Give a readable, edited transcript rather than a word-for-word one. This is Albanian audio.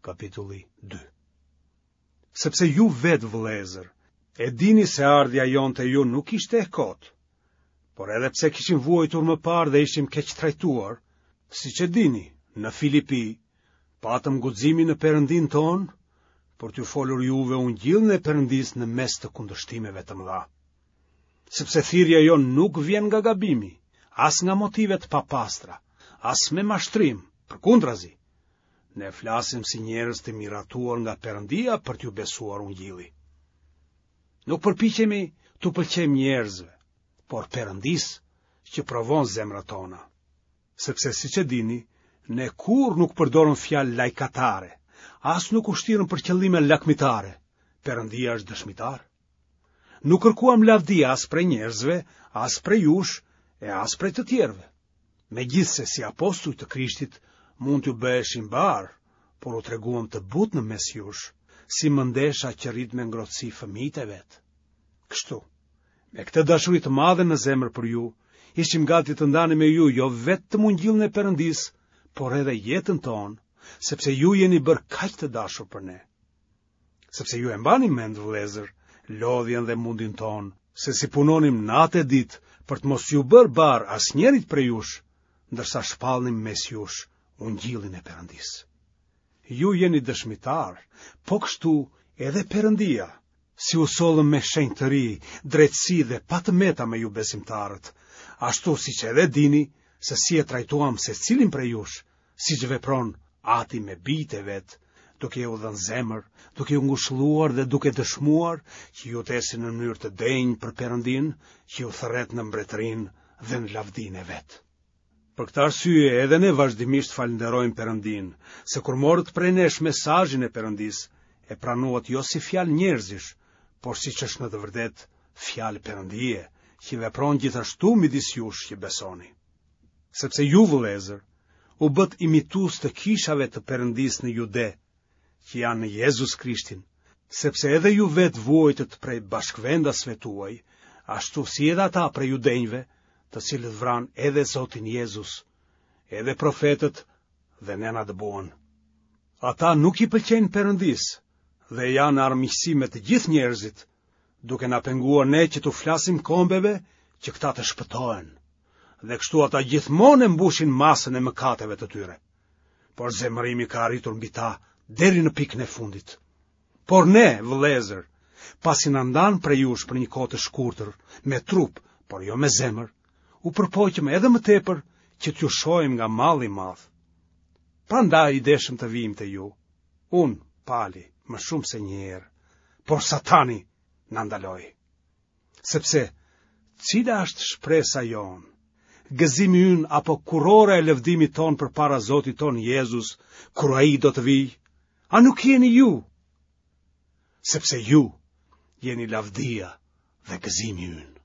Kapitulli 2. Sepse ju vetë vëllezër, e dini se ardhja jonë te ju nuk ishte e kotë, por edhe pse kishim vuajtur më parë dhe ishim keqtrajtuar, siç e dini, në Filipi, patëm guximin në Perëndinë tonë, për t'ju folur juve ungjillin e Perëndisë në mes të kundërshtimeve të mëdha. Sepse thirrja jonë nuk vjen nga gabimi, as nga motive të papastra, as me mashtrim, përkundrazi, Ne flasim si njerëz të miratuar nga Perëndia për t'ju besuar ungjilli. Nuk përpiqemi t'u pëlqejmë njerëzve, por Perëndisë që provon zemrat tona. Sepse siç e dini, ne kurrë nuk përdorëm fjalë lajkatare, as nuk u shtirëm për qëllime lakmitare. Perëndia është dëshmitar. Nuk kërkuam lavdi as prej njerëzve, as prej jush e as prej të tjerëve. Megjithëse si apostuj të Krishtit mund t'ju bëheshim barrë, por u treguam të butë në mes jush, si mëndesha që rrit me ngrohtësi fëmijët e vet. Kështu, me këtë dashuri të madhe në zemër për ju, ishim gati të ndanim me ju jo vetëm ungjillin e Perëndisë, por edhe jetën tonë, sepse ju jeni bërë kaq të dashur për ne. sepse ju e mbani mend vëllezër, lodhjen dhe mundin tonë, se si punonim natë e ditë për të mos iu bërë barrë asnjërit prej jush, ndërsa shpallnim mes jush ungjillin e Perëndisë. Ju jeni dëshmitarë, po kështu edhe Perëndia, si u sollëm me shenjtëri, drejtësi dhe pa të meta me ju besimtarët, ashtu siç edhe dini se si e trajtuam secilin prej jush, siç vepron ati me bijtë e vet, duke ju dhënë zemër, duke ju ngushëlluar dhe duke dëshmuar që ju të ecni në mënyrë të denjë për Perëndinë, që ju thërret në mbretërinë dhe në lavdinë e vet. Për këtë arsye edhe ne vazhdimisht falënderojmë Perëndinë, se kur morët prej nesh mesazhin e Perëndisë, e pranuat jo si fjalë njerëzish, por siç është në të vërtetë fjalë Perëndie, që vepron gjithashtu midis jush që besoni. Sepse ju vëllezër, u bëtë imitues të kishave të Perëndisë në Jude, që janë në Jezus Krishtin, sepse edhe ju vetë vuajtët prej bashkëvendasve tuaj, ashtu si edhe ata prej judenjve, të cilët vranë edhe Zotin Jezus, edhe profetët dhe ne na dëbuan. Ata nuk i pëlqejnë Perëndisë dhe janë në armiqësi me të gjithë njerëzit, duke na penguar ne që t'u flasim kombeve që këta të shpëtohen. Dhe kështu ata gjithmonë e mbushin masën e mëkateve të tyre. Por zemërimi ka arritur mbi ta deri në pikën e fundit. Por ne, vëllezër, pasi na ndanë prej jush për një kohë të shkurtër, me trup, por jo me zemër, u përpoqëm edhe më tepër që t'ju shohim nga malli i madh. Prandaj deshëm të vijmë te ju, Unë, Pali, më shumë se një herë, por Satani na ndaloi. Sepse, cila është shpresa jonë, gëzimi ynë apo kurora e lëvdimit tonë përpara Zotit tonë Jezus, kur ai do të vijë, a nuk jeni ju? Sepse ju jeni lavdia dhe gëzimi ynë.